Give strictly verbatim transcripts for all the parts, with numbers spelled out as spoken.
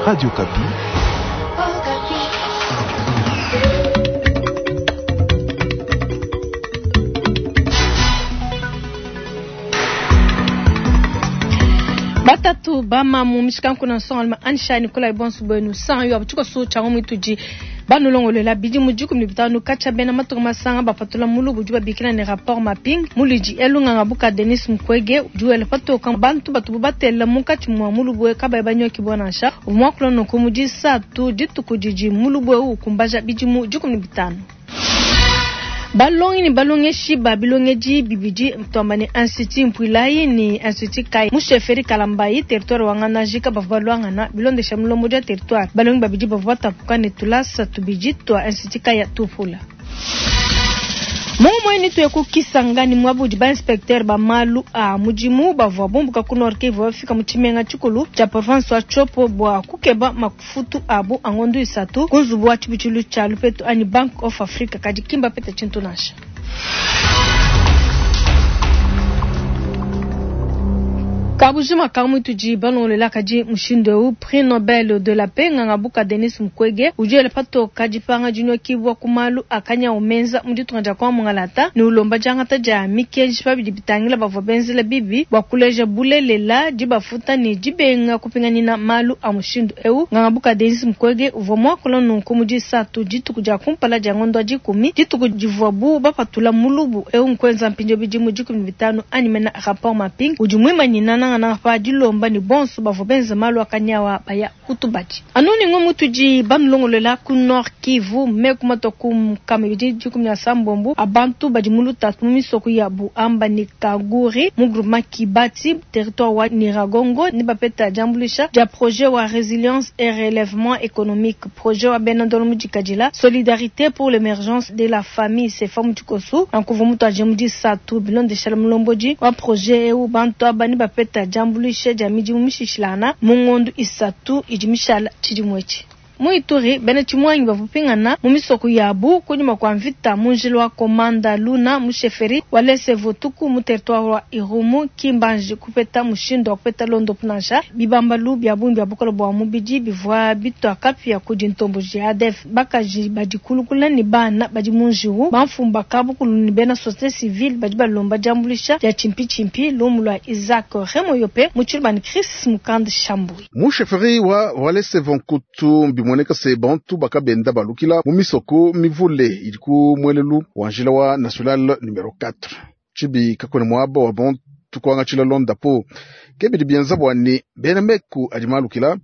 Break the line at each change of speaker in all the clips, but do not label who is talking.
Radio Okapi.
Batatu bamamu mishikanku na nsonga anisha Nikolai bonso bwenu san yo abutuko su chango mwituji banulongolela bidi mu dikumi ne bitanu katshia bena matunga masanga bapatula mulubu udi babikila ne rapport mapping mulidi elunganga buka Denis Mukwege udi wela patoka bantu batubu batela munkatshi mua mulubu kabayi banyoki bwa nansha uvua muakula nunku mu disatu dituku didi mulubu eu ukumbaja bidimu dikumi ne bitanu. Balongi ne balongeshi ba bilongedi bibidi twamba ne institut Mpuilayi ne institut Kai mu chefferie Kalambayi territoire wa Ngandajika bavua baluangana bilondesha mulombodi wa territoire. Balongi babidi bavua batapuka ne tulasa tubidi twa institut Kai tupula. Mumwe ni tuye ku Kisangani mwabudi ba inspecteur ba malu a mudimu bavua bumbuka ku Nord Kivu bafika mu tshimenga tshikulu tshia province wa Tshopo bua kukeba mafutu abu a ngondu isatu ku nzubu wa tshibutshilu tshia Lupetu anyi Bank of Africa kadi kimba pete tshintu nansha. Kabujima kamwe tudi balongolela kadi mushindu eu prix Nobel de la paix nganga buka Denis Mukwege udi wela patoka dipanga dinyokibwa ku malu akanya umenza mu ditunga dia kwa mungalata ne ulomba diangata dia mikenji pabidi bitangila bavua benzela bibi bua kuleja bulelela dibafuta ne dibenga kupinganina malu a mushindu eu. Nganga buka Denis Mukwege uvua muakula nunku mu disatu dituku dia kumpala dia ngondo wa dikumi dituku divuabu bapatula mulubu eu nkwenza mpindieu bidimu dikumi ne bitanu anyi mena rapport mapping udi muimanyina nangana pa dilomba ne bonso bavua benza malu akanyawa baya kutubadi. Anu ni ngomu tudi banulongolela ku Nord Kivu meku mato ku nkama ibidi dikumi na sambombo abantu badi mu lutatu mu misoko ya Buamba ne Kaguri mu groupement Kibati territoire wa Nyiragongo ne bapeta diambuluisha dia projet wa résilience et relèvement économique projet wa bena ndolo mudikadila solidarité pour l'émergence de la famille sefa mutikosu ankuvu mutu aje mu disatu bilondesha mulombodi wa projet eu bantu aba ne bapeta diambuluisha dia midimu mishishilana mu ngondu isatu idi mishala tshidimu etshi. Mu Ituri bena tshimwangi bavua pingana mu misoko yabu kunyima kua mvita mu njila wa Komanda Luna mu chefferie wa Lese-Votuku mu territoire wa Irumu Kimbanji kupeta mushindu wa kupeta londopu nansha bibambalu bia bungi bia bukole bua mubidi bivua bitwa kapia kudi ntomboji ya A D F bakaji badi kulukula ne bana badi mu njiwu bamfumba kabukulu ne bena société civile badi balomba diambuluisha dia tshimpi-tshimpi lumu lua Isaac Remoyope mu tshilubani Chris Mukand Shambui.
Mu chefferie wa Walese-Vonkutu bimoneka se bantu bakabenda balukila mu misoko mivule idi ku mwelelu wa njila wa national numero quatre. Tshibi kakone muaba wa bantu kuangatshila londapo. Ke bidi bienza bua ne bena meku adi malukila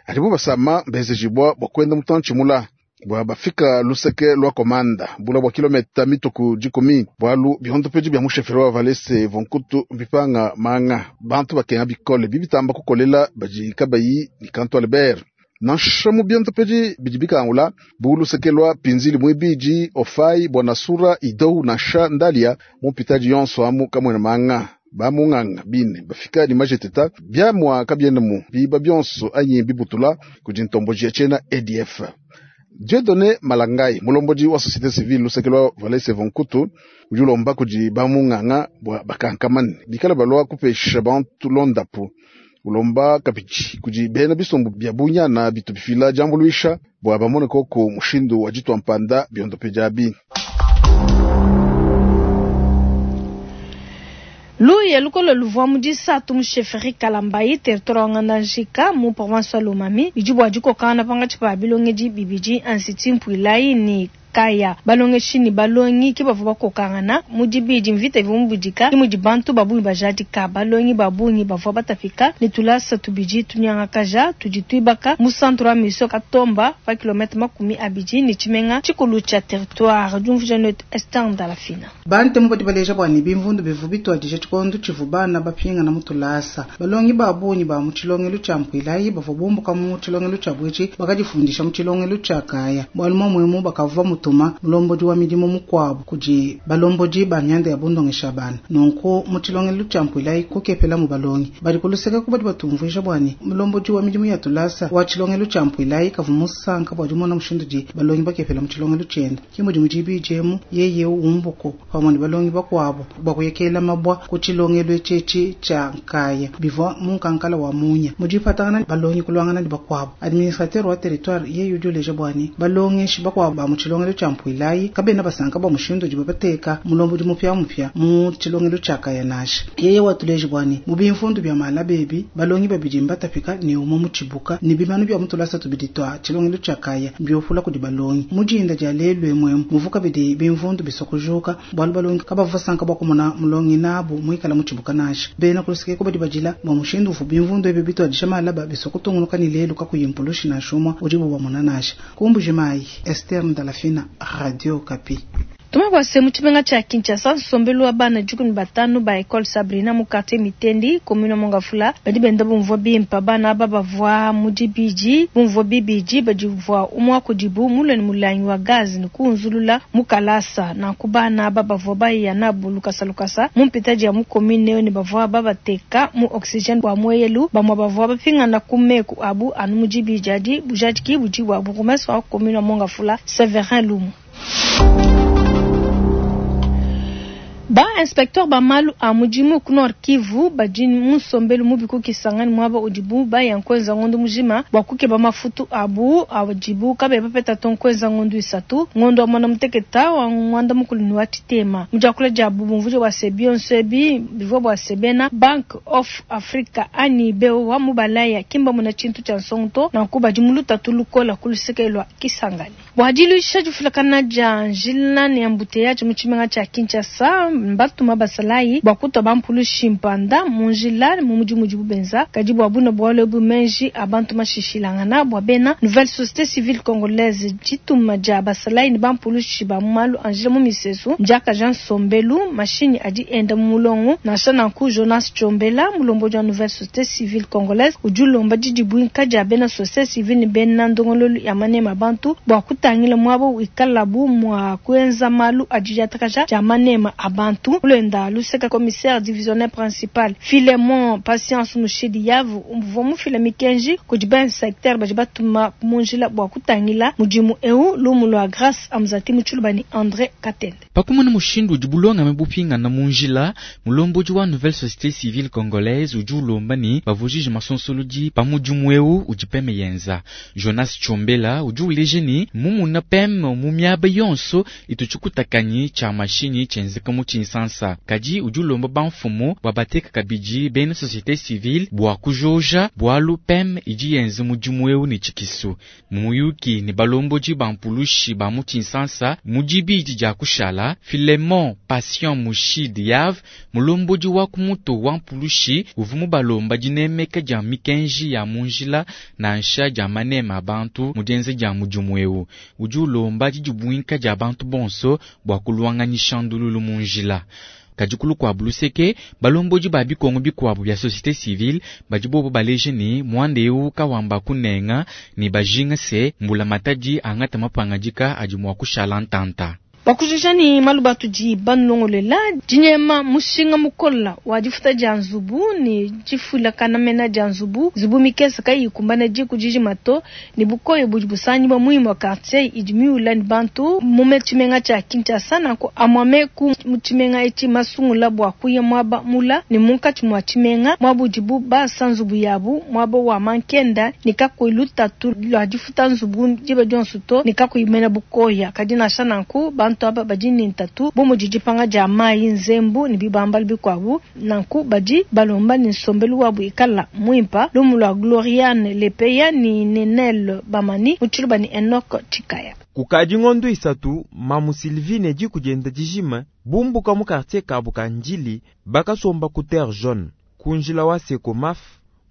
adibo basama benzejibwa bua kuenda mutantshi mula bua bafika luseke lwa komanda bula bua kilometa mituku dikumi bualu bihondopedi bia musheferi wa Walese Vonkutu mbipanga manga bantu bakenga bikole bibitamba kukolela badi kabayi ni kantu Albert. Nansha mu biondopedi bidi bikangula bu luseke lwa pinzili mwibidi ofai bwanasura idou nansha ndalia mu mpitadi yonso amu kamwena manga bamunganga bine bafika ni majeteta bia mwa kabiene mu biba bionso anyi bibutula kudi ntomboji ya tshena A D F. Dieudonné Malangai mulombodi wa société civile luseke lwa Walese Vonkutu udi ulomba kudi bamunganga bua bakankamane bikala balwa kupesha bantu londapu. Ulomba kapiti kudi bena bisumbu bia bunyana bitu bifila diambuluisha bua bamone koko mushindu wa ditwa mpanda biondope diabi.
Luye lukolo luvua mu disatu mu chefferie Kalambayi territoire wa Ngandajika mu province wa Lomami bidi bua dikokana pangatshi pa bilongedi bibidi institut Mpuilayi ne Kaya. Balongeshi ne balongi ke bavua bakokangana mu dibidi mvita ivua mubudika ke mudi bantu ba bungi bajadika. Balongi ba bungi bavua batapika ne tulasa tubidi tunyangakaja tudi tuibaka mu centre wa mission Katomba pa kilomètre makumi abidi ne tshimenga tshikulu tshia territoire diumvuija ne Esther Ndalafina.
Bantemu badi baleja bua ne bimvundu bivua bituadija tshikondo tshivua bana bapingana mu tulasa. Balongi ba bungi ba mu tshilongelu tshia Mpuilayi bavua bumbuka mu tshilongelu tshia Bwetshi bakadifundisha mu tshilongelu tshia Kaya. Bualu muamuemu bakavua mu utuma mulombodi wa midimu mukuabu kudi balombodi ba mianda ya bundongesha bana. Nunku mu tshilongelu tshia mpuilayi kukepela mu balongi badi kuluseka kubadi batumvuija bua ne mulombodi wa midimu ya tulasa wa tshilongelu tshia mpuilayi kavu musanka bua dimona mushindu di balongi bakepela mu tshilongelu tshienda kimudi mudibijemu yeye umbuko pamwe ne balongi bakuabu bua kuyekela mabwa ku tshilongelu etshi tshia nkaya bivua munkankala wa munya mudipatangana balongi kulwangana ne bakuabu administrateur wa territoire yeye udi uleja bua ne balongeshi bakuabu ba mu tshilongelu tshia mpuilayi kabena basanka bua mushindu udi babateka mulombodi mupya mupya mu tshilongelu tshia kaya nasha yeye watuleje bua ne mu bimfundu bia malabebi balongi babidi mbatapika ne umwe mu tshibuka ne bimanu bya mutulasa tubidi twa tshilongelu tshia kaya mbiofula kudi balongi mujinda dia lelu emwemu muvuka bidi bimvundu bisokujuka bualu balongi kabavua sanka bua kumona mulongi nabu muikala mu tshibuka nasha bena kuluseke ko badi badila bua mushindu uvu bimvundu ebi bitwadisha malaba bisokutungunuka ni lelu kakuyi mpulushi nansha umwe udibu bamona nasha kumbuji mayi Esther Ndalafina, Radio Okapi.
Tumabwase mu tshimenga tshia Kinshasa nsombelu wa bana dikumi batanu ba Ecole Sabrina mu quartier Mitendi commune Mongafula badi benda bumvua bimpa bana aba bavua mu dibidi bumvua bibidi badivua umwa kudibu mulwe ne mulangi wa gaz ne kunzulula mu kalasa nanku bana aba bavua baya nabu lukasa lukasa mu mpitadi ya mu commune ne bavua babateka mu oxygène wa mweyelu bamwa bavua bapingana ku meku abu anu mu dibidi adi bujadiki budi bua bourgmestre wa commune Mongafula Severin Lumu. Ba inspecteur ba malu a mudimu ku Nord Kivu badi mu nsombelu mubi kukisangani mwaba udibu baya nkwenza ngondo mujima bua kukeba mafutu abu adibu kabe bapeta to nkwenza ngondo isatu ngondo wa mwana muteketa wa mwanda mukulu ni wa tshitema mudiakula dia bumvujo bua sebionso ebi bivua bua sebena Bank of Africa ani beo wa mubalaya kimba muna tshintu tshia nsongo nanku badi mu lutatu lukola kuluseke lwa Kisangani bua diluisha difulakana dia njila ne embouteillage mu tshimenga tshia Kinshasa mbatuma basalayi bua kutwa bampulushi mpanda mu njila mu mudimu udibu benza kadi bua buna bualu ebu menji abantu mashishilangana bua bena nouvelle société civile congolaise dituma dia basalayi ne bampulushi ba malu a njila mu misesu ndiakaja nsombelu mashinyi adi enda mu mulongo nansha nanku Jonas Tchombela mulombodi wa nouvelle société civile congolaise udi ulomba didibuinka dia bena société civile ne bena ndongololu ya manema bantu bua kutangila mwabo wikalabu mwa kuenza malu adi diatakaja dia manema abantu ulenda luseka commissaire divisionnaire principal Philemon Patience Mushidi Yavu umvua mufila mikenji kudi ba secteur badi batuma munjila bua kutangila mudimu eu lumu lwa Grâce Amzati Mutshulubani André Katende
pakumona mushindu udi bulonga mebupingana munjila mulombodi wa nouvelle société civile congolaise udi ulomba ni bavujije masonsolodi pa mudimu eu udi peme yenza Jonas Tchombela udi uleje ni mumuna peme mu miaba yonso itu tshikutakanyi tshia mashinyi tshenzeka mu Kinshasa kadi udi ulomba bamfumu bua bateka kabidi bena société civile bua kujoja bualu peme idi yenza mudimu eu ne tshikisu muyuki ne balombodi bampulushi ba mu Kinshasa mu dibidi dia kushala Philemon Patient Mushid Yav mulombodi wa kumuto wa mpulushi uvu mubalomba dinemeka dia mikenji ya munjila nansha dia manema abantu mu dienza dia mudimu eu udi ulomba didibuinka dia bantu bonso bua kulwanganyisha ndululu munjila kadi kulu kwa buluseke balombodi ba bikongo bikuabu bya société civile badi bobo baleje ni mwanda eu kawamba kunenga ni bajinga se mbula matadi angata mapangadika adi mua kushala ntanta
Bakujisha ni maluba tudi banlongolela dinyema mushinga mukola wa difuta dia nzubu ni difula kanamena dia nzubu nzubu mikesa kayi kumbana diku dijimato ni bukoyo budi busanyi bwa muhimu wa quartier idi miula ni bantu mume tshimenga tshia Kinshasa nanku amwame ku mu tshimenga etshi masungula bua kuya mwaba mula ni munkatshi mua tshimenga mwaba udibu basa nzubu yabu mwaba wa mankenda ni kakuyi lutatu lua difuta nzubu diba dionso to ni kakuyi mena bukoya kadi nansha nanku bantu aba badi ni ntatu bu mudi dipanga dia mayi nzembu ni bibambala bikuabu nanku badi balomba ni nsombelu wabu ikala muimpa lumu lua Gloriane Lepeya ni Nenel Bamani mutshiluba ni Enoch Chikaya
kukadi ngondo isatu mamu Sylvine dikujenda dijima bumbuka mu quartier kabu ka Njili bakasomba ku terre jaune kunjila wa Sekomaf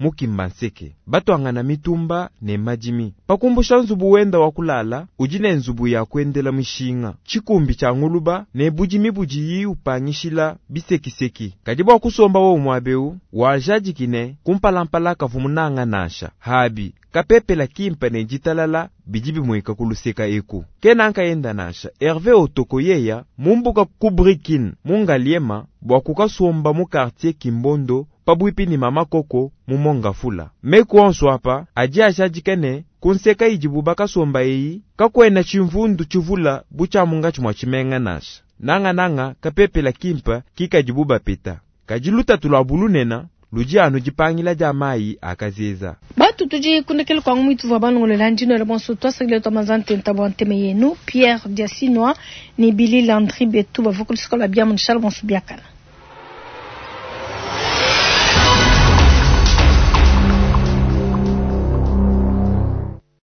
mu Kimbanseke. Batwangana mitumba ne madimi. Pakumbusha nzubu wenda wa kulala, udi ne nzubu ya kuendela mishinga. Tshikumbi tshia nguluba ne budimi budiyi upangishila bisekiseki. Kadi bua kusomba wo muabeu, wajadiki kumpalampala kavu munanga nansha. Habi, kapepela kimpa ne ditalala bidi bimueka kuluseka eku. Kena nkayenda nansha Hervé Otoko yeya mumbuka ku Brikin mu Ngaliema bua kukasomba mu quartier Kimbondo pabuipi ni mama koko mu Mongafula. Meku onso apa adi ajadika ne kunseka idibu bakasomba eyi kakwena tshimvundu tshivula bu tshia mungatshi mua tshimenga nansha. Nanga-nanga kapepela kimpa kikadibu bapeta. Kadi lutatu lua bulunena ludi anu dipangila dia mayi akazeza.
Batu tudi kundekela kwangu mwitu vwa balongolela ndino ya bonso twasakile twa ntenta bwa nteme yenu Pierre Diasinwa ni Billy Landry betu bavua kulusika lua bia munishala bonso biakana.